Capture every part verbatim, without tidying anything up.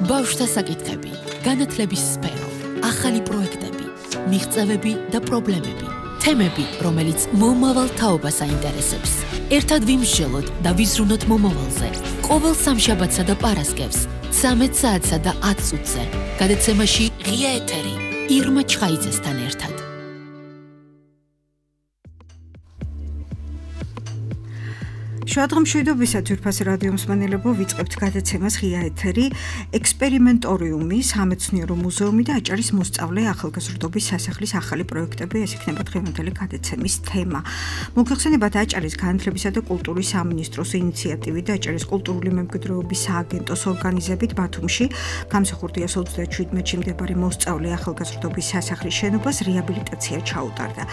ბავშვთა საკითხები, განათლების სფერო, ახალი პროექტები, მიღწევები და პრობლემები, თემები, რომელიც მომავალ თაობას აინტერესებს. ერთად ვიმსჯელოთ და ვიზრუნოთ მომავალზე. ყოველ სამშაბათსა და პარასკევს, ცამეტ საათსა და ათ წუთზე. გადაცემაში ღია ეთერი, ირმა ჩხაიძესთან ერთად. შუადღამშვიდობისა ძვირფასი რადიო მსმენელებო, ვიწყებთ გადაცემას ღია ეთერი, ექსპერიმენტორიუმი, სამეცნიერო მუზეუმი და აჭარის მოსწავლე ახალგაზრდობის სასახლის ახალი პროექტები, ეს იქნება დღევანდელი გადაცემის თემა. მოგეხსენებათ აჭარის განათლებისა და კულტურის სამინისტროს ინიციატივით და აჭარის კულტურული მემკვიდრეობის სააგენტოს ორგანიზებით ბათუმში გამსახურდიას ოცდაშვიდმეტში მდებარე მოსწავლე ახალგაზრდობის სასახლის შენობას რეაბილიტაცია ჩაუტარდა.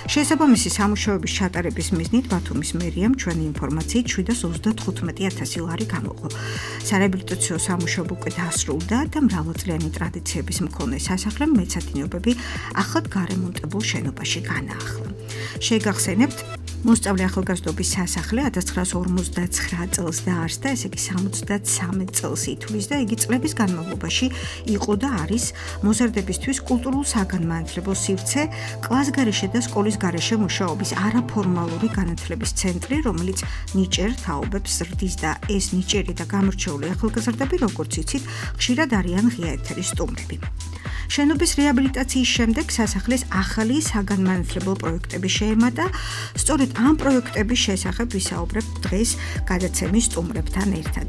შესაბამისი სამუშაოების ჩატარების მიზნით ბათუმის მერიამ ჩვენი ინფორმაცია შვიდას ოცდათხუთმეტი ათასი ლარი გამოყო. სარეაბილიტაციო სამუშაო უკვე დასრულდა და მრავალწლიანი ტრადიციების მქონე სასახლემ მეცადინეობები ახლად გარემონტებულ შენობაში განაახლა. შეგახსენებთ, მოსწავლე ახალგაზრდობის სასახლე ათას ცხრაასი ორმოცდაცხრა წელს დაარსდა, ესე იგი სამოცდათსამეტ წელს ითვლის და იგი წლების განმავლობაში იყო და არის მოზარდებისთვის კულტურულ საგანმანათლებლო სივრცე, კლასგარეშე და სკოლის გარეშე მუშაობის არაფორმალური განათლების ცენტრი, რომელიც ნიჭერ თაობებს ზრდის და ეს ნიჭერი და გამორჩეული ახალგაზრდები, როგორც იცით, ხშირად არიან ღია ეთერის სტუმრები. შენობის რეაბილიტაციის შემდეგ სასახლეს ახალი საგანმანათლებლო პროექტები შეემატა. სწორედ ამ პროექტების შესახებ ვისაუბრებთ დღეს გადაცემის სტუმრებთან ერთად.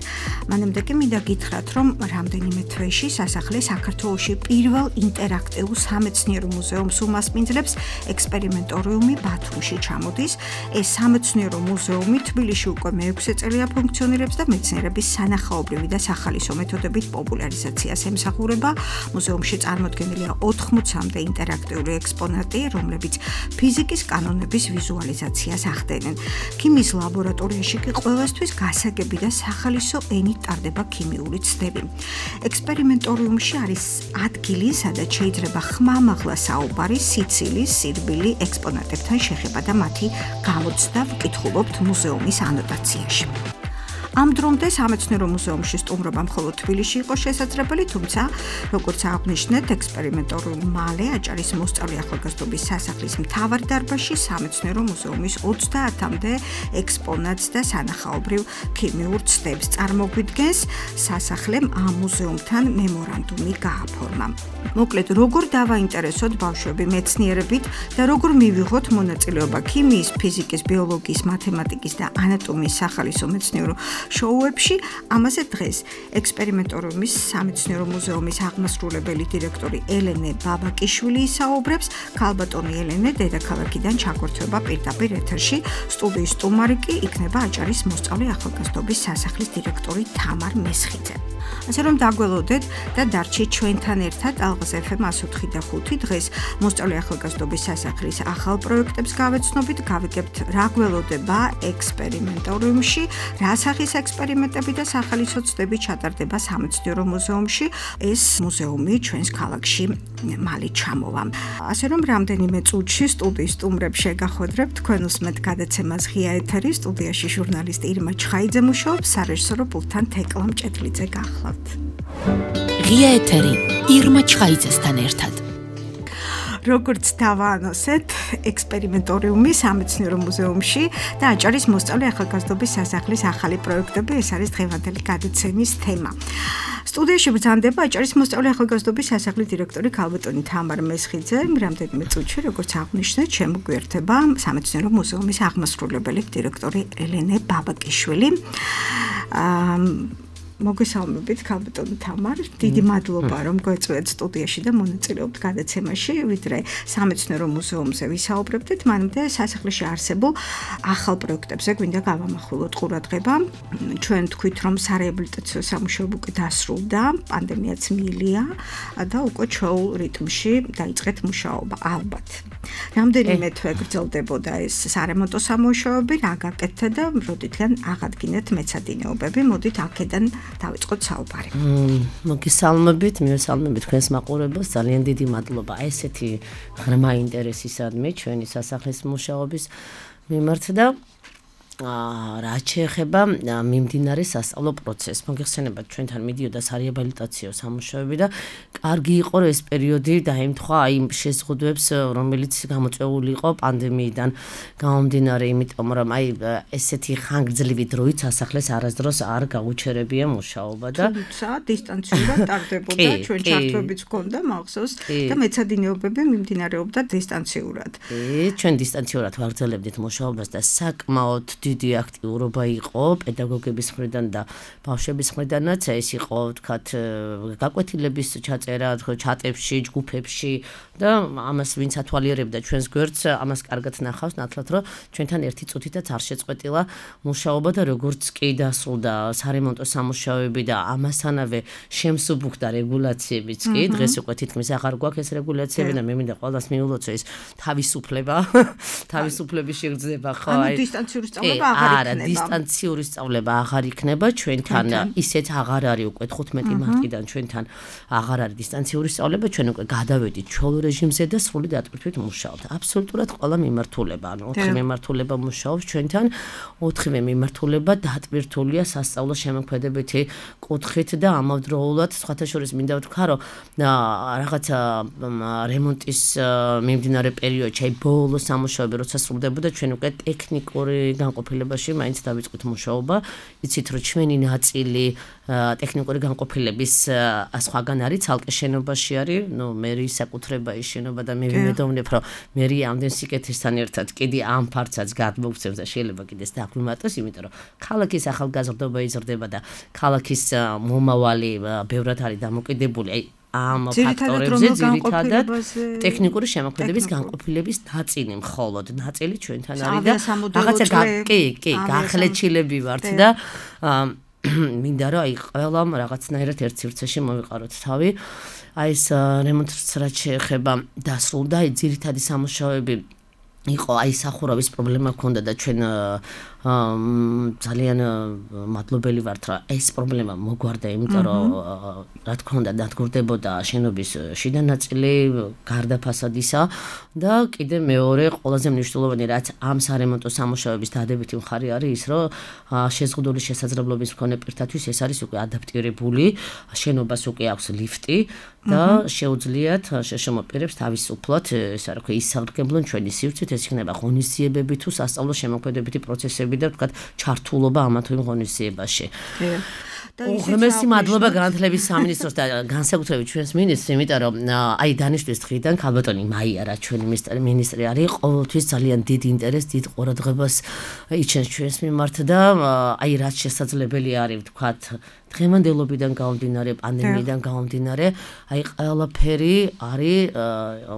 მანამდე კი მინდა გითხრათ, რომ რამდენიმე თვეში სასახლე საქართველოში პირველ ინტერაქტიულ სამეცნიერო მუზეუმს უმასპინძლებს. ექსპერიმენტორიუმი ბათუმში ჩამოდის. ეს სამეცნიერო მუზეუმი თბილისში უკვე მეექვსე წელია ფუნქციონირებს და მეცნიერების სანახაობრივი და სახალისო მეთოდებით პოპულარიზაციას ემსახურება. მუზეუმში წარმოდგენილია ოთხმოცამდე ინტერაქტიული ექსპონატი, რომლებიც ფიზიკის კანონების ვიზუალიზაციას ახდენენ. ქიმიის ლაბორატორიაში კი ყველასთვის გასაგები და სახალისო ენით ტარდება ქიმიური ცდები. ექსპერიმენტორიუმში არის ადგილი, სადაც შეიძლება ხმამაღლა საუბარი სიცილის, სირბილი ექსპონატებთან შეხება და მათი გამოცდა ვკითხულობთ მუზეუმის ანოტაციაში. ამ დრომდე სამეცნიერო მუზეუმში სტუმრობა მხოლოდ თბილისში იყო შესაძლებელი, თუმცა, როგორც აღნიშნეთ, ექსპერიმენტორიუმი მალე აჭარის მოსწავლე ახალგაზრდობის სასახლის მთავარ დარბაზში სამეცნიერო მუზეუმის ოცდაათამდე ექსპონატს და სანახაობრივ ქიმიურ ცდებს წარმოგვიდგენს. სასახლემ ამ მუზეუმთან მემორანდუმი გააფორმა. მოკლედ, როგორ დავაინტერესოთ ბავშვები მეცნიერებით და როგორ მივიღოთ მონაწილეობა ქიმიის, ფიზიკის, ბიოლოგიის, მათემატიკის და ანატომიის სახალისო მეცნიერო შოუებში, ამაზე დღეს ექსპერიმენტორიუმის სამეცნიერო მუზეუმის აღმასრულებელი დირექტორი ელენე ბაბაკიშვილი ისაუბრებს. ქალბატონი ელენე დედაქალაქიდან ჩაგვერთვება პირდაპირ ეთერში. სტუდიის სტუმარი კი იქნება აჭარის მოსწავლე ახალგაზრდობის სასახლის დირექტორი თამარ მესხიძე. ასე რომ დაგველოდეთ და დარჩით ჩვენთან ერთად ალღაზ ეფ ემ εκατს ოთხი და ხუთი. დღეს მოსწავლე ახალგაზრდობის სასახლის ახალ პროექტებს გავეცნობით, გავიგებთ რა გველოდება ექსპერიმენტორიუმში, რა სახის ექსპერიმენტები და სახალისო ცდები ჩატარდება სამეცნიერო მუზეუმში. ეს მუზეუმი ჩვენს ქალაქში მალე ჩამოვა. ასე რომ რამდენიმე წუთში სტუდიის სტუმრებს შეგახვედრებთ, თქვენ უსმენთ გადაცემას ღია ეთერი, სტუდიაში ჟურნალისტი ირმა ჩხაიძე მუშაობს, სარეჟისორო პულტთან თეკლა მჭედლიძე გახლავთ. ღია ეთერი, ირმა ჩხაიძესთან ერთად. როგორც დავაანონსეთ, ექსპერიმენტორიუმი სამეცნიერო მუზეუმში და აჭარის მოსწავლე ახალგაზრდობის სასახლის ახალი პროექტები, ეს არის დღევანდელი გადაცემის თემა. სტუდიაში ბრძანდება აჭარის მოსწავლე ახალგაზრდობის სასახლის დირექტორი ქალბატონი თამარ მესხიძე. რამდენიმე წუთში, როგორც აღნიშნეთ, შემოგვიერთება სამეცნიერო მუზეუმის აღმასრულებელი დირექტორი ელენე ბაბაკიშვილი. მოგესალმებით ქალბატონი თამარ, დიდი მადლობა რომ გვეწვევთ სტუდიაში და მონაწილეობთ გადაცემაში, ვიდრე სამეცნიერო მუზეუმზე ვისაუბრებდით, მანამდე სასახლეში არსებულ ახალ პროექტებზე გვინდა გავამახვილოთ ყურადღება. ჩვენ თქვით, რომ სარეაბილიტაციო სამუშაო უკვე დასრულდა, პანდემიაც მიილია და უკვე ჩვეულ რიტმში დაიწყეთ მუშაობა, ალბათ. რამდენიმე თვე გრძელდებოდა ეს სარემონტო სამუშაოები, რა გაკეთდა და როდითგან აღადგინეთ მეცადინეობები, მოდით აქედან დავიწყოთ საუბარი. მოგესალმებით, მივესალმებით თქვენს მაყურებელს, ძალიან დიდი მადლობა ესეთი ღრმა ინტერესისადმი ჩვენი სასახლის მუშაობის მიმართ და რაც შეეხება მიმდინარე სასწავლო პროცესს. მოგეხსენებათ, ჩვენთან მიდიოდა სარეაბილიტაციო სამუშაოები და კარგი იყო ეს პერიოდი დაემთხვა აი შეზღუდვებს, რომელიც გამოწვეული იყო პანდემიიდან გამომდინარე, იმიტომ რომ აი ესეთი ხანგრძლივი დროით სასახლეს არასდროს არ გაუჩერებია მუშაობა და თუმცა დისტანციურად ტარდებოდა, ჩვენ ჩართვებიც ჰქონდა მახსოვს და მეცადინეობები მიმდინარეობდა დისტანციურად. კი, ჩვენ დისტანციურად ვაგრძელებდით მუშაობას და საკმაოდ დიდი აქტიურობა იყო პედაგოგების მხრიდან და ბავშვების მხრიდანაც. ეს იყო ვთქვათ გაკვეთილების ჩაწერა ჩატებში, ჯგუფებში და ამას ვინც ათვალიერებდა ჩვენს გვერდს, ამას კარგად ნახავს, ნათლად რომ ჩვენთან ერთი წუთითაც არ შეწყვეტილა მუშაობა და როგორც კი დასრულდა სარემონტო სამუშაოები და ამასთანავე შემსუბუქდა რეგულაციებიც კი, დღეს უკვე თითქმის აღარ გვაქვს ეს რეგულაციები და მე მინდა ყველას მიულოცო ეს თავისუფლება, თავისუფლების შეგრძნება ხო აი დისტანციური სწავლება აღარ არა, დისტანციური სწავლება აღარ იქნება ჩვენთან, ისეთ აღარ არის უკვე თხუთმეტი მარტიდან ჩვენთან აღარ არის დისტანციური სწავლება, ჩვენ უკვე გადავედით ჩვეულ რეჟიმზე და სრული დატვირთვით მუშაობთ. აბსოლუტურად ყველა მიმართულება, ანუ ოთხი მიმართულება მუშაობს ჩვენთან, ოთხივე მიმართულება დატვირთულია სასწავლო შემოქმედებითი კუთხით და ამავდროულად სხვათა შორის მინდა ვთქვა, რომ რაღაცა რემონტის მიმდინარე პერიოდში, აი ბოლო სამუშაოები როცა სრულდებოდა, ჩვენ უკვე ტექნიკური განყოფილებაში მაინც დავიწყეთ მუშაობა. იცით რომ ჩვენი ნაწილი ტექნიკური განყოფილების სხვაგან არის, ცალკე შენობაში არის, ნუ მერის საკუთრება ის შენობა და მე ვიმედოვნებ, რომ მერი ამდენ სიკეთესთან ერთად კიდე ამ ფარცაც გადმოგცემს და შეიძლება კიდეც დაგვიმატოს, იმიტომ რომ ქალაქის ახალგაზრდობა იზრდება და ქალაქის მომავალი ბევრად არის დამოკიდებული აი ამ ფაქტორებზე, ძირითადად ტექნიკური შემოქმედების განყოფილების ნაწილი მხოლოდ, ნაწილი ჩვენთან არის და რაღაცა კი, კი, გახლეჩილები ვართ და მინდა რომ აი ყველამ რაღაცნაირად ერთ სივრცეში მოვიყაროთ თავი. აი ეს რემონტს რაც შეეხება დასრულდა, აი ძირითადი სამუშაოები იყო, აი სახურავის პრობლემა ჰქონდა და ჩვენ ძალიან მადლობელი ვართ, რომ ეს პრობლემა მოგვარდა, იმიტომ რომ რა თქმა უნდა დადგურდებოდა შენობის შიდა ნაწილი გარდა ფასადისა და კიდე მეორე ყველაზე მნიშვნელოვანი რაც ამ სარემონტო სამუშაოების დადებითი მხარე არის ის, რომ შეზღუდული შესაძლებლობის მქონე პირთათვის ეს არის უკვე ადაპტირებული, შენობას უკვე აქვს ლიფტი და შეუძლიათ შეშმო პირებს თავისუფლად, ესე რა ქვია, ისარგებლონ ჩვენი სივრცით, ეს იქნება ღონისძიებები თუ სასწავლო შემოქმედებითი პროცესები და ვთქვათ ჩართულობა ამა თუ იმ ღონისძიებაში. უღრმესი მადლობა განათლების სამინისტროს და განსაკუთრებით ჩვენს მინისტრს, იმიტომ რომ აი დანიშნვის დღიდან ქალბატონი მაია რა ჩვენი მინისტრი არის, ყოველთვის ძალიან დიდ ინტერესს, დიდ ყურადღებას იჩენს ჩვენს მიმართ და აი რაც შესაძლებელი არის ვთქვათ დღევანდელობიდან გამომდინარე, პანდემიიდან გამომდინარე, აი ყველაფერი არის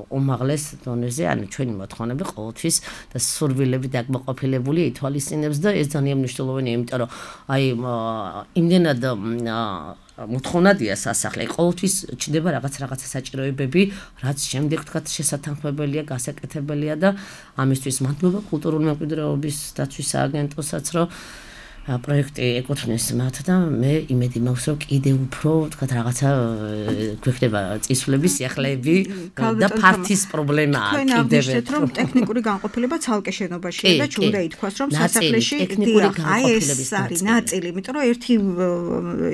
უმაღლეს დონეზე, ანუ ჩვენი მოთხოვნები ყოველთვის და სურვილები დაკმაყოფილებული ითვალისწინებს და ეს ძალიან მნიშვნელოვანია, იმიტომ რომ აი იმდენად მოთხოვნადია სასახლე, ყოველთვის ჩნდება რაღაც რაღაცა საჭიროებები, რაც შემდეგ თქვათ შესათანხმებელია, გასაკეთებელია და ამისთვის მადლობა კულტურული მემკვიდრეობის დაცვის სააგენტოსაც, რომ პროექტი ეკუთვნის მათ და მე იმედი მაქვს, რომ კიდევ უფრო თქვათ რაღაცა გვექნება წისვლების სიახლეები და ფართის პრობლემაა კიდევ ერთ რომ ტექნიკური განყოფილება ცალკე შენობაშია და ჩვენ უნდა ითქვას, რომ სასახლეში აი ეს არის ნაწილი, იმიტომ რომ ერთი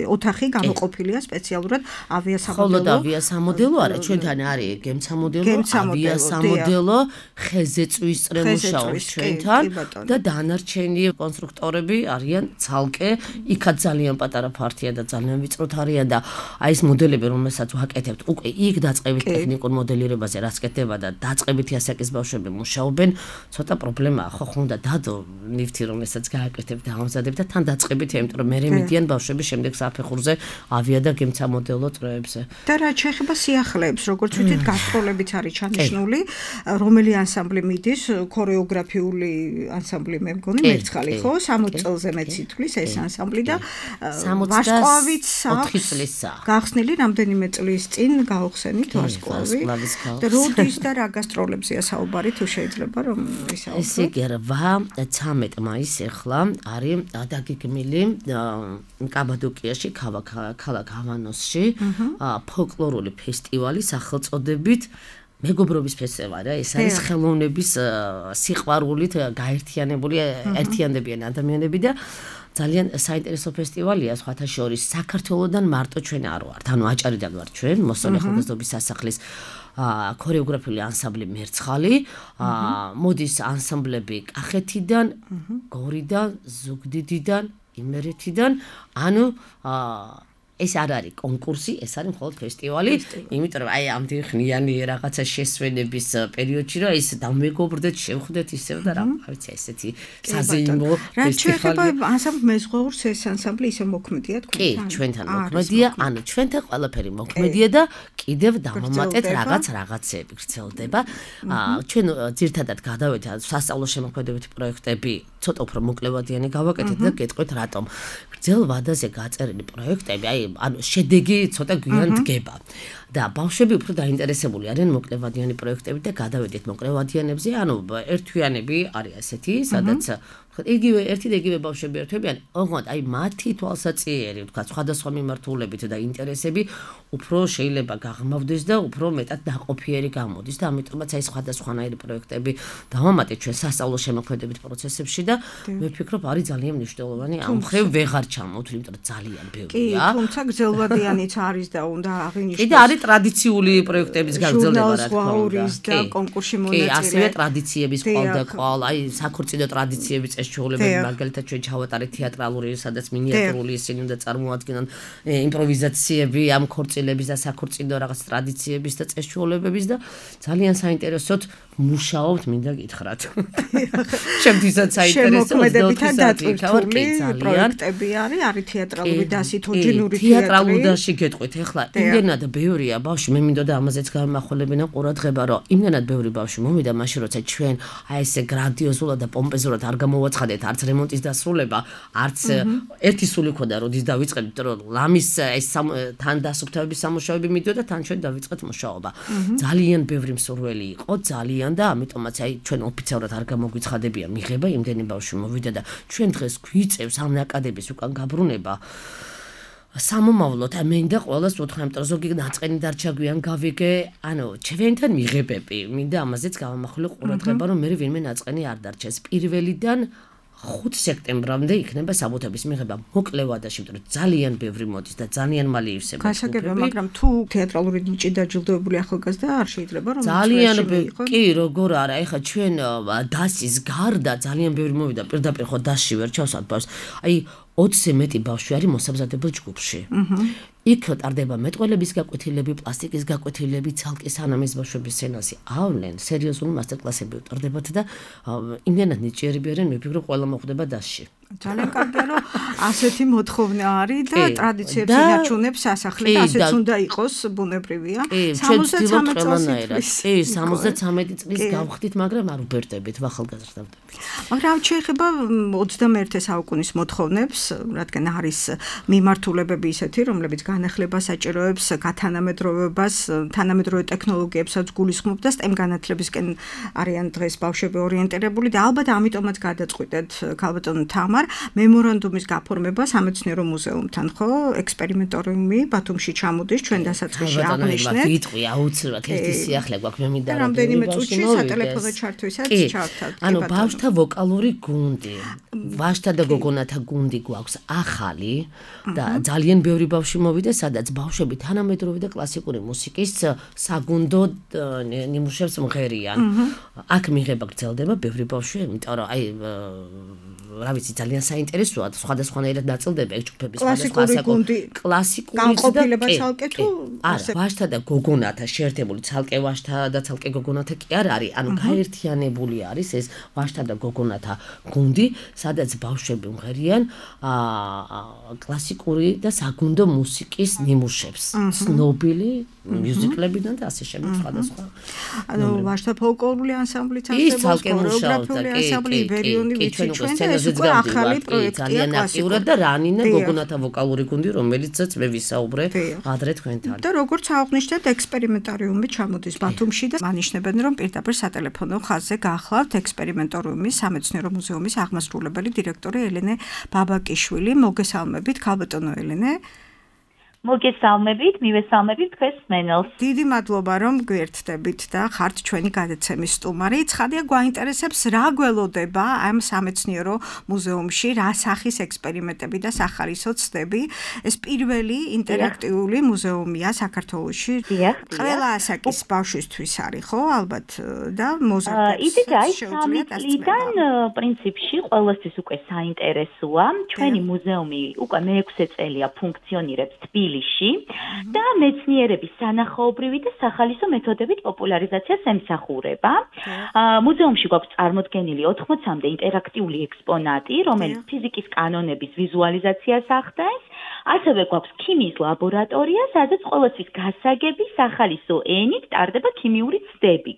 ოთახი გამოყოფილია სპეციალურად ავიასამოდელო. ხოლო ავიასამოდელო არა, ჩვენთან არის გემსამოდელო, ავიასამოდელო, ხეზეწვის წრე მუშაობს ჩვენთან და დანარჩენი კონსტრუქტორები არიან ცალკე, იქაც ძალიან პატარა ფართია და ძალიან ვიწროთ არიან და აი ეს მოდელები, რომელსაც ვაკეთებთ, უკვე იქ დაწყებით ტექნიკურ მოდელირებაზე რაც კეთდება და დაწყებითი ასაკის ბავშვები მუშაობენ, ცოტა პრობლემაა, ხო ხომ და დადო ნივთი, რომელსაც გააკეთებ და ამზადებ და თან დაწყებითია, იმიტომ რომ მერე მიდიან ბავშვები შემდეგ საფეხურზე ავია და გემსამოდელო წრეებზე. და რაც შეეხება სიახლეებს, როგორც ვთქვით, გასტროლებიც არის ჩანიშნული, რომელი ანსამბლი მიდის, ქორეოგრაფიული ანსამბლი მე მგონი მერცხალი, ხო, სამოცი წელზე ციტვლის ეს ანსამბლი და ვარსკვლავიც ოთხი წლისა. გახსნილი რამდენიმე წლის წინ გაუხსენით ვარსკვლავი. და როდის და რა გასტროლებზეა საუბარი, თუ შეიძლება რომ ვისაუბროთ. ესე იგი რვა ცამეტი მაისი ახლა არის დაგეგმილი კაბადოკიაში, ქალაქ ჰავანოსში ფოლკლორული ფესტივალი სახელწოდებით მეგობრობის ფესტივალი, ეს არის ხელოვნების სიყვარულით გაერთიანებული ერთიანდებიან ადამიანები და ძალიან საინტერესო ფესტივალია, სხვათა შორის საქართველოსდან მარტო ჩვენ არ ვართ. ანუ აჭარიდან ვართ ჩვენ, მოსწავლე ახალგაზრდობის სასახლის ქორეოგრაფიული ანსამბლი მერცხალი, მოდის ანსამბლები კახეთიდან, გორიდან, ზუგდიდიდან, იმერეთიდან, ანუ ეს არ არის კონკურსი, ეს არის მხოლოდ ფესტივალი, იმიტომ რომ აი ამდენ ხნიანი რაღაცა შესვენების პერიოდში რა ის დამეგობრდეთ, შევხვდეთ ისევ და რა ვიცი ესეთი საზეიმო ფესტივალი. რა შეიძლება ანსამბლ მეზღვაურს ეს ანსამბლი ისე მოქმედია თქვენთან? კი, ჩვენთან მოქმედია, ანუ ჩვენთან ყველაფერი მოქმედია და კიდევ დავამატეთ რაღაც რაღაცები გრძელდება. ჩვენ ძირთადად გადავედით სასწავლო შემოქმედებითი პროექტები, ცოტა უფრო მოკლევადიანი გავაკეთეთ და გეტყვით რატომ. გრძელ ვადაზე გაწერილი პროექტები, აი ანუ შედეგი ცოტა გვიან დგება და ბავშვები უფრო დაინტერესებული არიან მოკლევადიანი პროექტებით და გადავედით მოკლევადიანებზე, ანუ ერთვიანები არის ასეთი, სადაც იგივე ერთი და იგივე ბავშვები ერთვებიან, ოღონდ აი მათი თვალსაჩინო, თქვა სხვადასხვა მიმართულებით და ინტერესები უფრო შეიძლება გაღმავდეს და უფრო მეტად დაყოფიერი გამოდის და ამიტომაც აი სხვადასხვანაირი პროექტები დავამატეთ ჩვენ სასწავლო შემოქმედებით პროცესებში და მე ვფიქრობ არის ძალიან მნიშვნელოვანი ამ მხრივ ვეღარ ჩამოვთ, იმიტომ რომ ძალიან ბევრია. კი, თუმცა გრძელვადიანიც არის და უნდა აღინიშნოს. კი და არის ტრადიციული პროექტების გაგრძელება რა თქმა უნდა. და კონკურსში მონაწილე. კი, ასევე ტრადიციების ყოლდა ყოლ, აი საქორწინო ტრადიციების წესჩვეულებები, მაგალითად ჩვენ ჩავატარეთ თეატრალური, სადაც მინიატურული ისინი უნდა წარმოადგენენ იმპროვიზაციები ამ ქორწილების და საქორწინო რაღაც ტრადიციების და წესჩვეულებების და ძალიან საინტერესოდ მუშაობთ, მინდა გითხრათ. შემთხვევით საინტერესო შემოქმედებითა დაწვრთული პროექტები არის, არის თეატრალური დასი, თოჯინური თეატრი. თეატრალურ დასში გეტყვით, ეხლა იმდენად ბევრია ბავშვი, მე მინდოდა ამაზეც გამახვილებინა ყურადღება, რომ იმდენად ბევრი ბავშვი მომიდა მაშინ, როცა ჩვენ აი ესე გრანდიოზულად და პომპეზურად არ გამოვაცხადეთ არც რემონტის დასრულება, არც ერთი სული ქონდა, როდის დავიწყეთ, იმიტომ რომ ლამის ეს თან დასუფთავების სამუშაოები მიდიოდა, თან ჩვენ დავიწყეთ მუშაობა. ძალიან ბევრი მსურველი იყო, ძალიან და ამიტომაც აი ჩვენ ოფიციალურად არ გამოგვიცხადებია მიღება, იმდენი ბავშვი მოვიდა და ჩვენ დღეს გვიწევს ამ აკადემიის უკან გაბრუნება. სამომავლოდ მინდა ყველას ვუთხრა, იმიტომ რომ ზოგი ნაწყენი დარჩა გვიან გავიგე, ანუ ჩვენთან მიღებები, მინდა ამაზეც გავამახვილო ყურადღება, რომ მე ვინმე ნაწყენი არ დარჩეს. პირველიდან ხუთ სექტემბრამდე იქნება საბუთების მიღება მოკლევადაში, იმიტომ რომ ძალიან ბევრი მოდის და ძალიან მალე ივსება. გასაგებია, მაგრამ თუ თეატრალური ნიჭი დაჯილდოებული ახალგაზრდა არ შეიძლება რომ ძალიან კი, როგორ არა, ეხლა ჩვენ დასის გარდა ძალიან ბევრი მოვიდა, პირდაპირ ხო დასში ვერ ჩავსვათ ბავშვს. აი ოცზე მეტი ბავშვი არის მოსამზადებელ ჯგუფში. იქ ტარდება მეტყველების გაკვეთილები, პლასტიკის გაკვეთილები, ცალკე სანამ ეს ბავშვები სცენაზე ავლენ, სერიოზული მასტერკლასები უტარდებათ და იმდენად ნიჭიერები არიან, მე ვფიქრობ ყველა მოხვდება დასში. ძალიან კარგია, რომ ასეთი მოთხოვნა არის და ტრადიციებს ინარჩუნებს სასახლე და ასეც უნდა იყოს, ბუნებრივია. სამოცდათრამეტი წლის. კი, სამოცდათრამეტი წლის გავხდით, მაგრამ არ უბერდებით ახალგაზრდამდებით. მაგრამ შეიძლება ოცდამეერთე საუკუნის მოთხოვნებს, რადგან არის მიმართულებები ისეთი, რომლებიც განახლებას საჭიროებს, გათანამედროვებას, თანამედროვე ტექნოლოგიებსაც გულისხმობ და STEM განათლებისკენ არიან დღეს ბავშვები ორიენტირებული და ალბათ ამიტომაც გადაწყვიტეთ ქალბატონ თამარ მემორანდუმის გაფორმება სამეცნიერო მუზეუმთან, ხო? ექსპერიმენტორიუმი ბათუმში ჩამოდის, ჩვენ დასაწყისში აღნიშნეთ. გიტყვი აუცილებლად ერთი სიახლე გვაქვს, მე მინდა რამდენიმე წუთში სატელეფონო ჩართვისაც ჩავთვალთ. ანუ ბავშვთა ვოკალური გუნდი, ვაჟთა და გოგონათა გუნდი გვაქვს ახალი და ძალიან ბევრი ბავშვი მოვიდა, სადაც ბავშვები თანამედროვე და კლასიკური მუსიკის საგუნდო ნიმუშებს მღერიან. აქ მიღება გრძელდება ბევრი ბავშვი, იმიტომ რომ აი რა ვიცი, ძალიან საინტერესოა, სხვადასხვანაირად ნაწილდება ეგ ჯგუფების კლასიკური გუნდი, კლასიკური განყოფილება ცალკე თუ არა, ვაჟთა და გოგონათა შეერთებული, ცალკე ვაჟთა და ცალკე გოგონათა კი არ არის, ანუ გაერთიანებული არის ეს ვაჟთა და გოგონათა გუნდი, სადაც ბავშვები მღერიან კლასიკური და საგუნდო მუსიკის ნიმუშებს, ცნობილი მიუზიკლებიდან და ასე შემდეგ სხვადასხვა. ანუ ვაჟთა ფოლკლორული ანსამბლიც არსებობს, ქორეოგრაფიული ანსამბლი, იბერიონი ვიცი ჩვენ და ეს უკვე ახალი პროექტია კლასიკურად და რანინა გოგონათა ვოკალური გუნდი, რომელიცაც მე ვისაუბრე ადრე თქვენთან. და როგორც აღნიშნეთ, ექსპერიმენტორიუმი ჩამოდის ბათუმში და მანიშნებენ, რომ პირდაპირ სატელეფონო ხაზზე გაახლავთ ექსპერიმენტორიუმის სამეცნიერო მუზეუმის აღმასრულებელი დირექტორი ელენე ბაბაკიშვილი. მოგესალმებით, ქალბატონო ელენე. მოგესალმებით, მივესალმებით თქვენს მსმენელს. დიდი მადლობა რომ გვერდდებით და ხართ ჩვენი გადაცემის სტუმარი. ცხადია გვაინტერესებს რა გველოდება ამ სამეცნიერო მუზეუმში, რა სახის ექსპერიმენტები და სახალისო ცდები. ეს პირველი ინტერაქტიული მუზეუმია საქართველოში. ყველა ასაკის ბავშვისთვის არის, ხო, ალბათ და მოზარდებს. იდეა აი სამი წლიდან პრინციპში ყველასთვის უკვე საინტერესოა. ჩვენი მუზეუმი უკვე მეექვსე წელია ფუნქციონირებს თბილისში და მეცნიერების სანახაობრივი და სახალისო მეთოდებით პოპულარიზაციას ემსახურება. მუზეუმში გვაქვს წარმოდგენილი ოთხმოცამდე ინტერაქტიული ექსპონატი, რომელიც ფიზიკის კანონების ვიზუალიზაციას ახდენს. ასევე გვაქვს ქიმიის ლაბორატორია, სადაც ყოველთვის გასაგები სახალისო ენით ტარდება ქიმიური ცდები.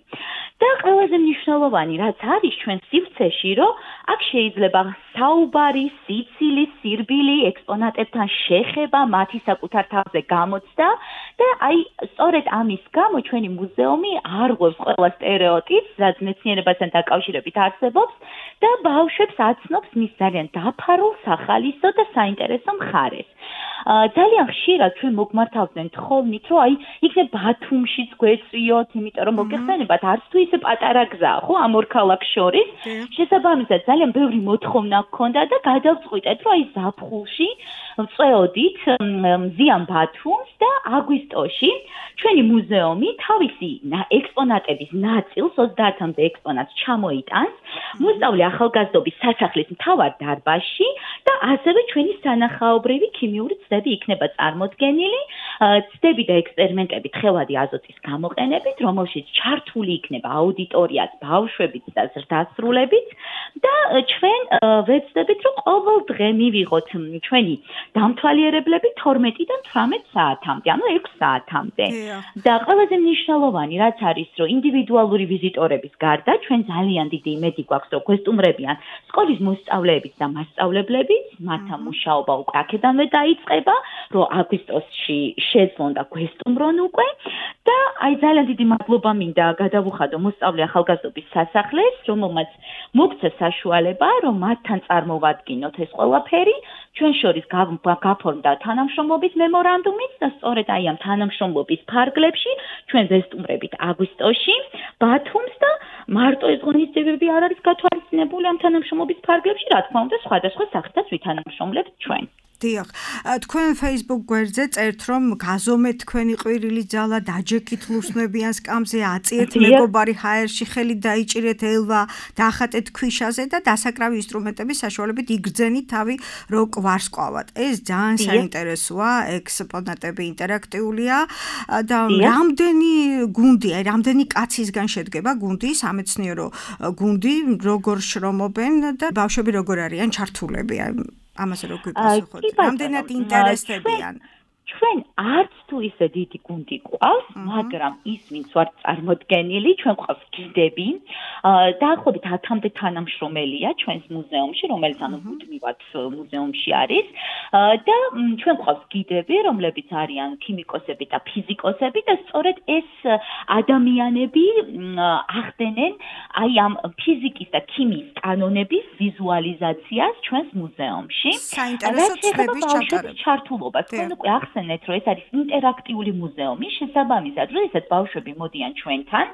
და ყველაზე მნიშვნელოვანი რაც არის ჩვენ სივრცეში, რომ აქ შეიძლება საუბარი, სიცილის, სირბილი, ექსპონატებთან შეხება, მათი საკუთარ თავზე გამოცდა და აი სწორედ ამის გამო ჩვენი მუზეუმი არღვევს ყველა სტერეოტიპს, რაც მეცნიერებასთან დაკავშირებით არსებობს და ბავშვებს აცნობს მის ძალიან დაფარულ, სახალისო და საინტერესო მხარეს. ძალიან ხშირად ჩვენ მოგმართავდნენ თხოვნით, რომ აი იქნებ ბათუმშიც გვეწვიოთ, იმიტომ რომ მოგეხსენებათ, არც თუ ისე პატარა გზაა, ხო, ამ ორ ქალაქს შორის. შესაბამისად, ძალიან ბევრი მოთხოვნა გქონდა და გადავწყვიტეთ, რომ აი ზაფხულში ვწეოდით მზიან ბათუმს და აგვისტოში ჩვენი მუზეუმი თავისი ექსპონატების ნაწილს, ოცდაათამდე ექსპონატს ჩამოიტანს მოსწავლე ახალგაზრდობის სასახლის მთავარ დარბაზში და ასევე ჩვენი სანახაობრივი ქიმიური ცდები იქნება წარმოდგენილი, ცდები და ექსპერიმენტები თხევადი აზოტის გამოყენებით, რომელშიც ჩართული იქნება აუდიტორიაც, ბავშვებიც და ზრდასრულებიც და ჩვენ ვეცდებით, რომ ყოველ დღე მივიღოთ ჩვენი დამთვალიერებლები თორმეტიდან თვრამეტ საათამდე, ანუ ექვს საათამდე. და ყველაზე მნიშვნელოვანი რაც არის, რომ ინდივიდუალური ვიზიტორების გარდა ჩვენ ძალიან დიდი იმედი გვაქვს, რომ გვესტუმრებიან სკოლის მოსწავლეებიც და მასწავლებლებიც, მათთან მუშაობა უკვე აქედანვე დაიწყება, რომ აგვისტოში შეძლონ და გვესტუმრონ უკვე და აი ძალიან დიდი მადლობა მინდა გადავუხადო მოსწავლე ახალგაზრდობის სასახლეს, რომელმაც მოგცა საშუალება, რომ მათთან წარმოვადგინოთ ეს ყველაფერი. ჩვენ შორის გაფორმდა თანამშრომლობის მემორანდუმიც და სწორედ აი ამ თანამშრომლობის ფარგლებში ჩვენ ვესტუმრებით აგვისტოში ბათუმს და მარტო ეს ღონისძიებები არ არის გათვალისწინებული ამ თანამშრომლობის ფარგლებში, რა თქმა უნდა, სხვადასხვა სახითაც ვითანამშრომლებთ ჩვენ. დიახ, თქვენ Facebook გვერდზე წერთ, რომ გაზომეთ თქვენი ყვირილი ძალა, დაჯექით ლურსმნებიან სკამზე, აწიეთ მეგობარი ჰაერში, ხელით დაიჭირეთ ელვა, დაახატეთ ქვიშაზე და დასაკრავი ინსტრუმენტების საშუალებით იგრძენით თავი, რო კვარსკვალად. ეს ძალიან საინტერესოა, ექსპონატები ინტერაქტიულია და რამდენი გუნდი, აი რამდენი კაცისგან შედგება გუნდი, სამეცნიერო გუნდი, როგორ შრომობენ და ბავშვები როგორ არიან ჩართულები? ამაზე რო გვიპასუხოთ, რამდენად ინტერესდებიან? ჩვენ არც თუ ისე დიდი გუნდი გვყავს, მაგრამ ის ვინც ვარ წარმოდგენილი, ჩვენ გვყავს გიდები, დაახლოებით ათამდე თანამშრომელია ჩვენს მუზეუმში, რომელიც ანუ მუდმივად მუზეუმში არის და ჩვენ გვყავს გიდები, რომლებიც არიან ქიმიკოსები და ფიზიკოსები და სწორედ ეს ადამიანები ახდენენ აი ამ ფიზიკის და ქიმიის კანონების ვიზუალიზაციას ჩვენს მუზეუმში. საინტერესო ცდების ჩატარება. ჩართულობას თქვენ უკვე ახსენეთ, რომ ეს არის ინტერაქტიული მუზეუმი, შესაბამისად, როდესაც ბავშვები მოდიან ჩვენთან,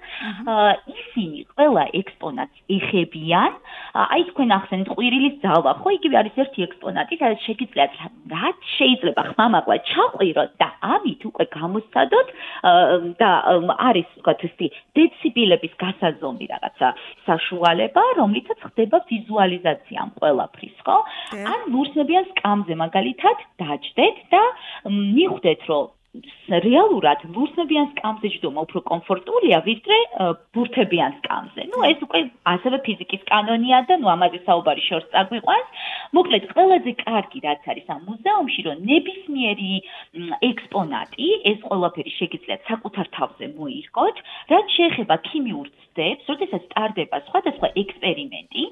ისინი ყველა ექსპონატს ეხებიან. აი თქვენ ახსენეთ ყვირილის ძალა, ხო, იგივე არის ერთი ექსპონატი, სადაც შეგიძლიათ რაც შეიძლება ხმამაღლა ჩაყვიროთ და ამით უკვე გამოსცადოთ და არის ვთქვათ ისეთი დეციბილების გასაზომი რაღაცა საშუალება, რომლითაც ხდება ვიზუალიზაცია ამ ყველაფრის, ხო? ან ლურსმნებიან სკამზე მაგალითად დაჯდეთ და მიხვდეთ, რომ რეალურად ლურსმნებიან სკამზე ჯდომა უფრო კომფორტულია, ვიდრე ბურთებიან სკამზე. ნუ ეს უკვე ასევე ფიზიკის კანონია და ნუ ამაზე საუბარი შორს წაგვიყვანს. მოკლედ, ყველაზე კარგი რაც არის ამ მუზეუმში, რომ ნებისმიერი ექსპონატი, ეს ყველაფერი შეგიძლიათ საკუთარ თავზე მოირგოთ, რაც შეეხება ქიმიურ ცდებს, როდესაც ტარდება სხვადასხვა ექსპერიმენტი,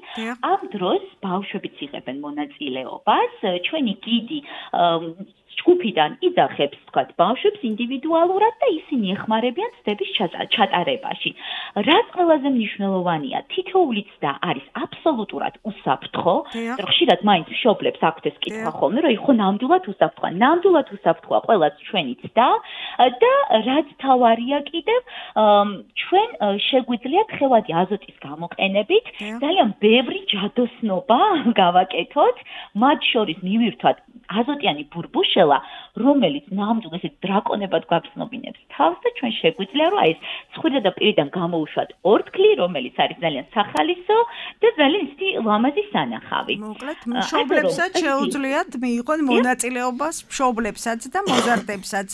ამ დროს ბავშვებიც იღებენ მონაწილეობას, ჩვენი გიდი ჯგუფიდან იძახებს თქვათ ბავშვებს ინდივიდუალურად და ისინი ეხმარებიან ცდების ჩატარებაში. რაც ყველაზე მნიშვნელოვანია, თითოეული ცდა არის აბსოლუტურად უსაფრთხო, რომ ხშირად მაინც მშობლებს აქვთ ეს კითხვა ხოლმე, რომ იხო ნამდვილად უსაფრთხოა. ნამდვილად უსაფრთხოა ყველაც ჩვენი ცდა და რაც თავარია კიდევ ჩვენ შეგვიძლიათ ხელადი აზოტის გამოყენებით ძალიან ბევრი ჯადოსნობა გავაკეთოთ, მათ შორის მივირთვათ აზოტიანი ბურბუშელა, რომელიც ნამდვილად ეს დრაკონებად გვაგრძნობინებს თავს და ჩვენ შეგვიძლია რომ აი ეს ცხვირდა და პირიდან გამოუშვათ ორთქლი, რომელიც არის ძალიან სახალისო და ძალიან ისეთი ლამაზი სანახავი. მოკლედ, მშობლებსაც შეუძლიათ მიიღონ მონაწილეობას მშობლებსაც და მოზარდებსაც.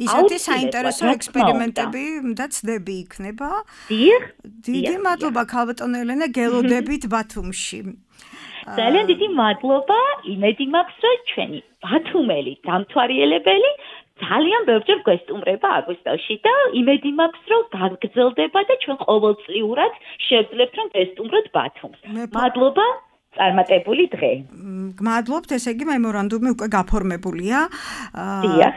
ისეთი საინტერესო ექსპერიმენტები და ცდები იქნება. დიახ. დიდი მადლობა ქალბატონო ელენა, გელოდებით ბათუმში. ძალიან დიდი მადლობა, იმედი მაქვს, რომ ჩვენი ბათუმელი დამთვალიერებელი ძალიან ბევრჯერ გვესტუმრება აგვისტოში და იმედი მაქვს, რომ გაგრძელდება და ჩვენ ყოველწლიურად შევძლებთ, რომ ვესტუმროთ ბათუმს. მადლობა. წარმატებული დღე. გმადლობთ, ესე იგი მემორანდუმი უკვე გაფორმებულია.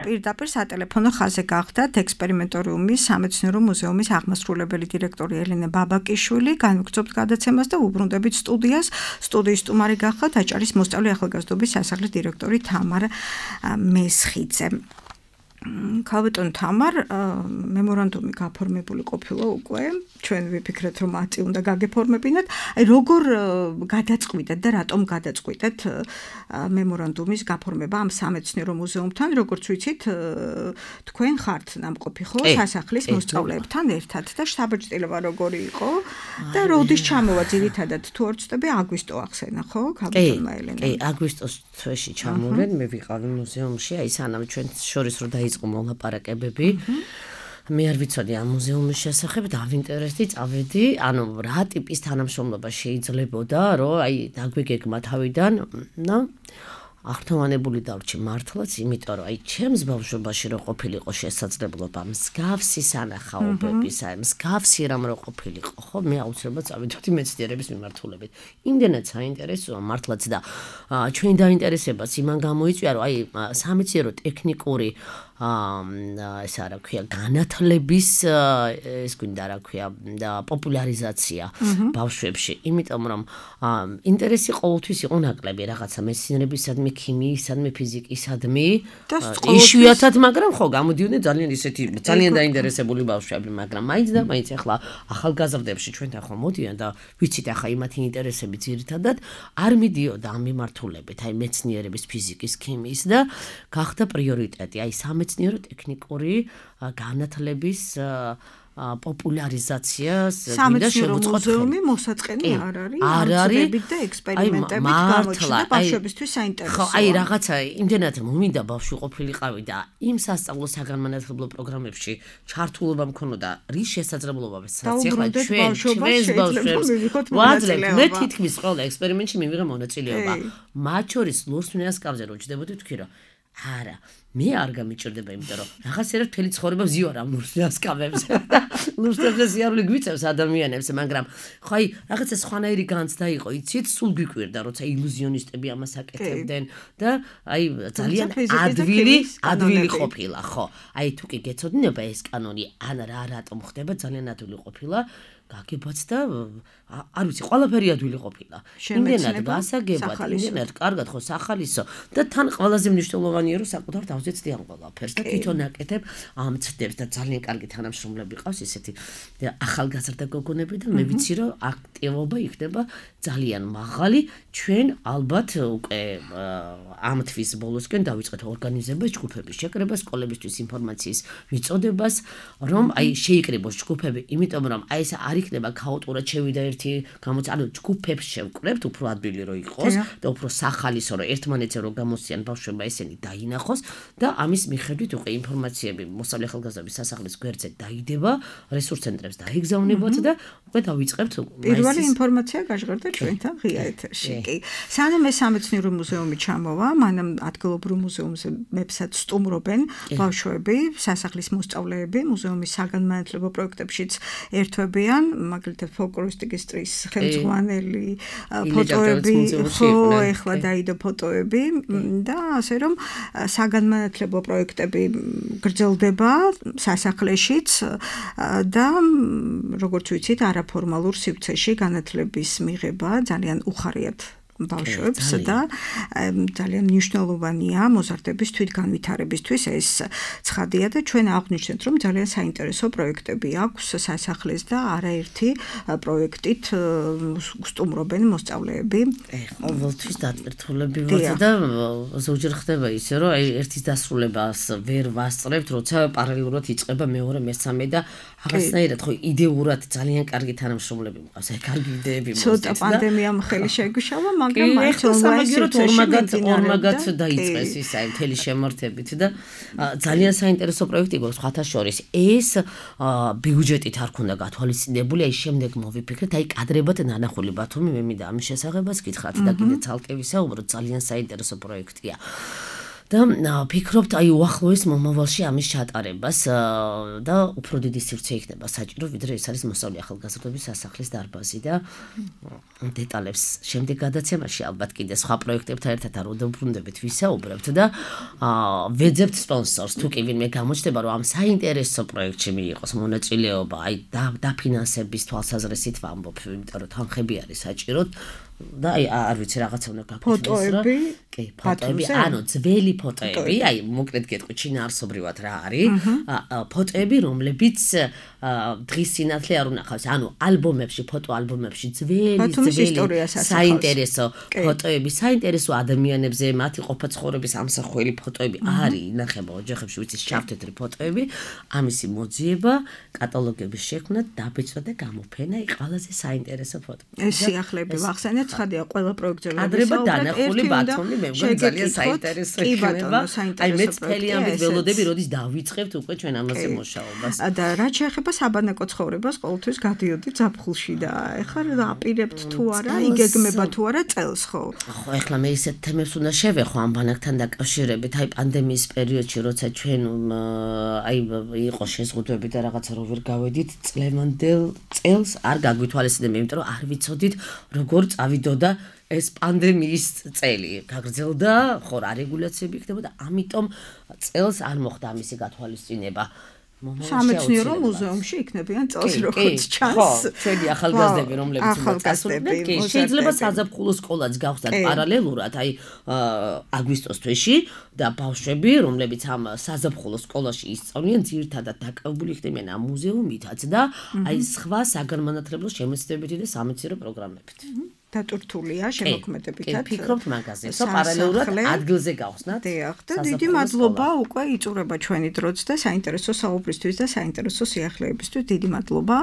პირდაპირ სატელეფონო ხაზზე გახდათ ექსპერიმენტორიუმის სამეცნიერო მუზეუმის აღმასრულებელი დირექტორი ელენე ბაბაკიშვილი, განვგრძობთ გადაცემას და უბრუნდებით სტუდიას. სტუდიის სტუმარი გახდათ აჭარის მოსწავლე ახალგაზრდობის სასახლის დირექტორი თამარ მესხიძე. ქალბატონ თამარ, მემორანდუმი გაფორმებული ყოფილა უკვე, ჩვენ ვიფიქრეთ, რომ ათი უნდა გაგეფორმებინათ. აი როგორ გადაწყვიტეთ და რატომ გადაწყვიტეთ მემორანდუმის გაფორმება ამ სამეცნიერო მუზეუმთან, როგორც ვიცით, თქვენ ხართ ნამყოფი ხო სასახლის მოსწავლეებთან ერთად და შთაბეჭდილება როგორი იყო და როდის ჩამოვა ძირითადად თუ არ ვცდები აგვისტო ახსენა ხო ქალბატონმა ელენამ. კი, აგვისტოს თვეში ჩამოვედი, მე ვიყავი მუზეუმში, აი სანამ ჩვენ შორის რო დაიწყო მოლაპარაკებები. მე არ ვიცოდი ამ მუზეუმის შესახებ, დავინტერესდი, წავედი, ანუ რა ტიპის თანამშრომლობა შეიძლებოდა, რომ აი დაგვიგეგმა თავიდან, და აღთოვანებული დავრჩი მართლაც, იმიტომ რომ აი ჩემს ბავშვობაში რო ყოფილიყო შესაძლებლობა მსგავსი სანახაობების, აი მსგავსი რამ რო ყოფილიყო, ხო, მე აუცილებლად წავიდოდი მეცნიერების მიმართულებით. იმდენად საინტერესოა მართლაც და ჩვენ დაინტერესებას იმან გამოიწვია, რომ აი სამეცნიერო ტექნიკური აა ეს რა ქვია განათლების ეს გვინდა რა ქვია და პოპულარიზაცია ბავშვებში, იმიტომ რომ ინტერესი ყოველთვის იყო ნაკლები რაღაცა მეცნიერებისადმი, ქიმიისადმი, ფიზიკისადმი, იშვიათად, მაგრამ ხო გამოდიოდნენ ძალიან ისეთი ძალიან დაინტერესებული ბავშვები, მაგრამ მაინც და მაინც ახლა ახალგაზრდებში ჩვენთან ხო მოდიან და ვიცით ახლა იმათი ინტერესები ძირითადად არ მიდიოდა ამ მიმართულებით, აი მეცნიერების, ფიზიკის, ქიმიის და გახდა პრიორიტეტი, აი სამეცნიერო ტექნიკური განათლების პოპულარიზაციას მინდა შევუწყოთ. მუზეუმი მოსაწყენი არ არის, არ არის და ექსპერიმენტებით გამოჩნდა ბავშვებისთვის საინტერესოა. ხო, აი რაღაცა იმდენად მომინდა ბავშვი ყოფილიყავი და იმ სასწავლო საგანმანათლებლო პროგრამებში ჩართულობა მქონოდა, რის შესაძლებლობებს ახლა ჩვენ ჩვენს ბავშვებს ვაძლევთ, მე თითქმის ყველა ექსპერიმენტში მივიღე მონაწილეობა. მათ შორის ლურსმნიას კავზე რო ჯდებოდი, თქვი რომ არა, მე არ გამიჭირდება, იმიტომ რომ რაღაცერად მთელი ცხოვრება ვზივარ ამ ლურსმნიას კავებზე. ლურსმნიას სიარული გვიწევს ადამიანებს, მაგრამ ხო აი რაღაცა სხვანაირი განცდა იყო, იცით, სულ გვიკვირდა, როცა ილუზიონისტები ამას აკეთებდნენ და აი ძალიან ადვილი, ადვილი ყოფილა, ხო. აი თუ კი გეცოდინება ეს კანონი, ან რა რატომ ხდება, ძალიან ადვილი ყოფილა. გაგებაც და არ ვიცი, ყველაფერი ადვილი ყოფილა. იმდენად გასაგებად, იმდენად კარგად ხო სახალისო და თან ყველაზე მნიშვნელოვანია რომ საკუთარ თავზე ცდიან ყველაფერს და თვითონ აკეთებ ამ ცდებს და ძალიან კარგი თანამშრომლები ყავს ისეთი ახალგაზრდა გოგონები და მე ვიცი რომ აქტივობა იქნება ძალიან მაღალი. ჩვენ ალბათ უკვე ამ თვის ბოლოსკენ დავიწყეთ ორგანიზებას, ჯგუფების შეკრებას, სკოლებისთვის ინფორმაციის მიწოდებას, რომ აი შეიკრიბოს ჯგუფები, იმიტომ რომ აი ეს არ იქნება ქაოტურად შევიდა ერთი გამოც, ანუ ჯგუფებს შევკრებთ, უფრო ადვილი რო იყოს და უფრო სახალისო რო ერთმანეთზე რო გამოსციან ბავშვებმა ესენი დაინახოს და ამის მიხედვით უკვე ინფორმაციები მოსწავლე ახალგაზრდების სასახლის გვერდზე დაიდება, რესურს ცენტრებს დაიგზავნებათ და უკვე დავიწყებთ პირველი ინფორმაცია გაჟღერდა ჩვენთან ღია ეთერში. კი. სანამ ეს სამეცნიერო მუზეუმი ჩამოვა, მანამ ადგილობრივ მუზეუმებსაც სტუმრობენ ბავშვები, სასახლის მოსწავლეები, მუზეუმის საგანმანათლებლო პროექტებშიც ერთვებიან მაგალითად ფოლკლორისტიკის წრის ხელმძღვანელი ფოტოები, ხო, ეხლა დაიდო ფოტოები და ასე რომ საგანმანათლებლო პროექტები გრძელდება სასახლეშიც და როგორც ვიცით, არაფორმალურ სივრცეში განათლების მიღება ძალიან უხარიათ ბავშვებს და ძალიან მნიშვნელოვანია მოზარდების თვითგანვითარებისთვის ეს ცხადია და ჩვენ აღვნიშნეთ რომ ძალიან საინტერესო პროექტები აქვს სასახლეს და არაერთი პროექტით სტუმრობენ მოსწავლეები. ყოველთვის დატვირთულები ვართ და ზოგჯერ ხდება ისე რომ აი ერთის დასრულებას ვერ ვასწრებთ, როცა პარალელურად იწყება მეორე, მესამე და აღსნაირად ხო იდეურად ძალიან კარგი თანამშრომლები მყავს, აი კარგი იდეები მოსწევს და ცოტა პანდემიამ ხელი შეგვიშალა მაგრამ მაინც ონლაინ ორმაგად ორმაგად დაიწყეს ის აი მთელი შემართებით და ძალიან საინტერესო პროექტი გვაქვს სხვათა შორის ეს ბიუჯეტით არ ქონდა გათვალისწინებული აი შემდეგ მოვიფიქრეთ აი კადრებად ნანახული ბათუმი მე მინდა ამის შესახებას გითხრათ და კიდე ცალკე ვისაუბროთ ძალიან საინტერესო პროექტია და ფიქრობთ აი უახლოეს მომავალში ამის ჩატარებას და უფრო დიდი სივრცე იქნება საჭირო ვიდრე ეს არის მოსწავლე ახალგაზრდობის სასახლის დარბაზი და დეტალებს შემდეგ გადაცემაში ალბათ კიდე სხვა პროექტებთან ერთად არ უბრუნდებით ვისაუბრებთ და ვეძებთ სპონსორს თუ კი ვინმე გამოჩნდება რომ ამ საინტერესო პროექტში მიიღოს მონაწილეობა აი დაფინანსების თვალსაზრისით ვამბობ იმიტომ რომ თანხები არის საჭიროდ და აი არ ვიცი რაღაცა უნდა გაკეთდეს რა კი ფოტოები ანუ ძველი ფოტოები აი მოკლედ გეტყვი ჩინაარსობრივად რა არის ფოტოები რომლებიც დღის სინათლე არ უნახავს ანუ ალბომებში ფოტო ალბომებში ძველი ძველი საინტერესო ფოტოები საინტერესო ადამიანებზე მათი ყოფა-ცხოვრების ამსახველი ფოტოები არის ინახება ოჯახებში ვიცი შავ-თეთრი ფოტოები ამისი მოძიება კატალოგების შექმნა დაბეჭდა და გამოფენა ის ყველაზე საინტერესო ფოტო ეს სიახლეები ვახსენეთ ცხადია ყველა პროექტზე კადრება დანახული ბათუმი მე მგონი ძალიან საინტერესო იქნება აი მეც მთელი ამით ველოდები როდის დავიწყებთ უკვე ჩვენ ამაზე მუშაობას და რაც შეეხება საბანაკო ცხოვრებას ყოველთვის გადიოდი ზაფხულში და ეხლა აპირებთ თუ არა იგეგმება თუ არა წელს ხო ხო ეხლა მე ისეთ თემებს უნდა შევეხო ამ ბანაკთან დაკავშირებით აი პანდემიის პერიოდში როცა ჩვენ აი იყო შეზღუდვები და რაღაცა რო ვერ გავედით წლევანდელ წელს არ გაგვითვალისწინებთ იმიტომ რომ არ ვიცოდით როგორ წავიდოდა ეს პანდემიის წელი გაგრძელდა ხო რა რეგულაციები იქნება და ამიტომ წელს არ მოხდა ამისი გათვალისწინება სამეცნიერო მუზეუმში იქნებიან წელს როგორც ჩანს ხო ჩვენი ახალგაზრდები რომლებიც უნდა წასულიყო კი შეიძლება საზაფხულო სკოლაც გავხსნათ პარალელურად აი აგვისტოს თვეში და ბავშვები რომლებიც ამ საზაფხულო სკოლაში ისწავლიან ძირითადად დაკავებული იქნებიან ამ მუზეუმითაც და აი სხვა საგანმანათლებლო შემეცნებითი და სამეცნიერო პროგრამებით დატვირთულია შემოქმედებითაც. კი, ფიქრობთ მაგაზე. სო პარალელურად ადგილზე გავხსნათ. დიახ, და დიდი მადლობა უკვე იწურება ჩვენი დროც და საინტერესო საუბრისთვის და საინტერესო სიახლეებისთვის. დიდი მადლობა,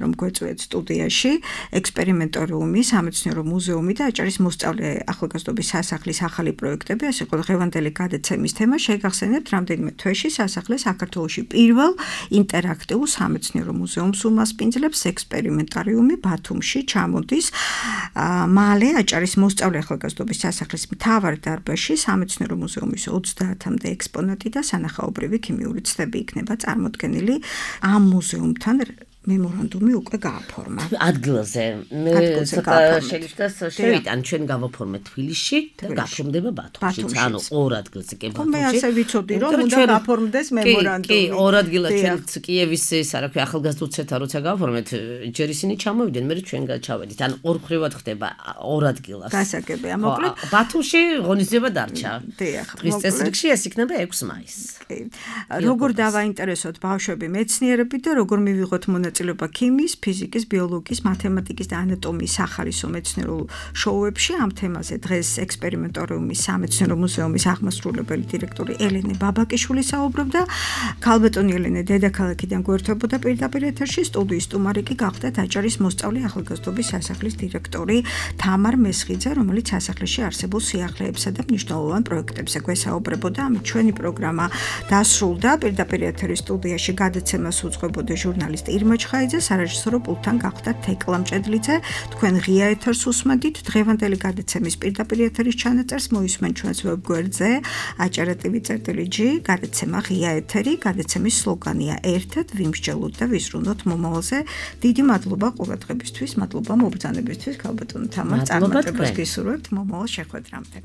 რომ გვეწვიეთ სტუდიაში ექსპერიმენტორიუმი, სამეცნიერო მუზეუმი და აჭარის მოსწავლე ახალგაზრდობის სასახლის ახალი პროექტები. ეს იყო დღევანდელი გადაცემის თემა. შეგახსენებთ, რამდენიმე თვეში სასახლე საქართველოში პირველ ინტერაქტიულ სამეცნიერო მუზეუმს უმასპინძლებს ექსპერიმენტარიუმი ბათუმში ჩამოდის. მალე აჭარის მოსწავლე ახალგაზრდობის სასახლის მთავარ დარბაზში სამეცნიერო მუზეუმის ოცდაათამდე ექსპონატი და სანახაობრივი ქიმიური ცდები იქნება წარმოდგენილი ამ მუზეუმთან მემორანდუმი უკვე გააფორმა. ადგილზე მე ცოტა შეიძლება შევიტან ჩვენ გავაფორმეთ თბილისში და გაფორმდება ბათუმში. ანუ ორ ადგილზე კი ბათუმში. მე ასე ვიცოდი რომ უნდა გაფორმდეს მემორანდუმი. კი, ორ ადგილად ჩვენ კიევის ეს რა ქვია ახალგაზრდულ ცენტრ როცა გავაფორმეთ, ჯერ ისინი ჩამოვიდნენ, მე ჩვენ ჩავედით. ანუ ორ ხრივად ხდება ორ ადგილას. გასაგებია, მოკლედ ბათუმში ღონისძიება დარჩა. დიახ, დღის წესრიგში ეს იქნება ექვსი მაისს. კი. როგორ დავაინტერესოთ ბავშვები მეცნიერებით და როგორ მივიღოთ მონაწილეობა მონაწილეობა ქიმიის, ფიზიკის, ბიოლოგიის, მათემატიკის და ანატომიის სახარისო მეცნიერულ შოუებში ამ თემაზე დღეს ექსპერიმენტორიუმის სამეცნიერო მუზეუმის აღმასრულებელი დირექტორი ელენე ბაბაკიშვილი საუბრობდა. ქალბატონი ელენე დედაქალაქიდან გვერდებოდა პირდაპირ ეთერში, სტუდიის სტუმარი კი გახდათ აჭარის მოსწავლე ახალგაზრდობის სასახლის დირექტორი თამარ მესხიძე, რომელიც სასახლეში არსებულ სიახლეებსა და მნიშვნელოვან პროექტებზე გვესაუბრებოდა. ამით ჩვენი პროგრამა დასრულდა. პირდაპირ ეთერის სტუდიაში გადაცემას უძღვებოდა ჟურნალისტი ირმა ჩხაიძე, სარეჟისორო პულტთან გახდა თეკლა მჭედლიძე. თქვენ ღია ეთერს უსმენთ. დღევანდელი გადაცემის პირდაპირ ეთერის ჩანაწერს მოისმენ ჩვენს ვებგვერდზე acara.tv.gr. გადაცემა ღია ეთერი, გადაცემის სლოგანია ერთად ვიმსჯელოთ და ვიზრუნოთ მომავალზე. დიდი მადლობა ყურადღებისთვის, მადლობა მობრძანებისთვის, ქალბატონო თამარ, წარმატებას გისურვებთ მომავალ შეხვედრამდე.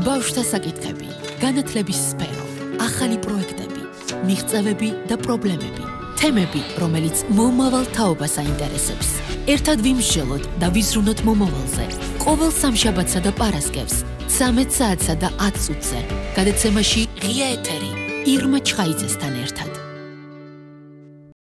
ბავშვთა საკითხები, განათლების სფერო, ახალი პროექტები, მიღწევები და პრობლემები, თემები, რომელიც მომავალ თაობას აინტერესებს. ერთად ვიმსჯელოთ და ვიზრუნოთ მომავალზე. ყოველ სამშაბათსა და პარასკევს, ცამეტ საათსა და ათ წუთზე. გადაცემაში ღია ეთერი, ირმა ჩხაიძესთან ერთად.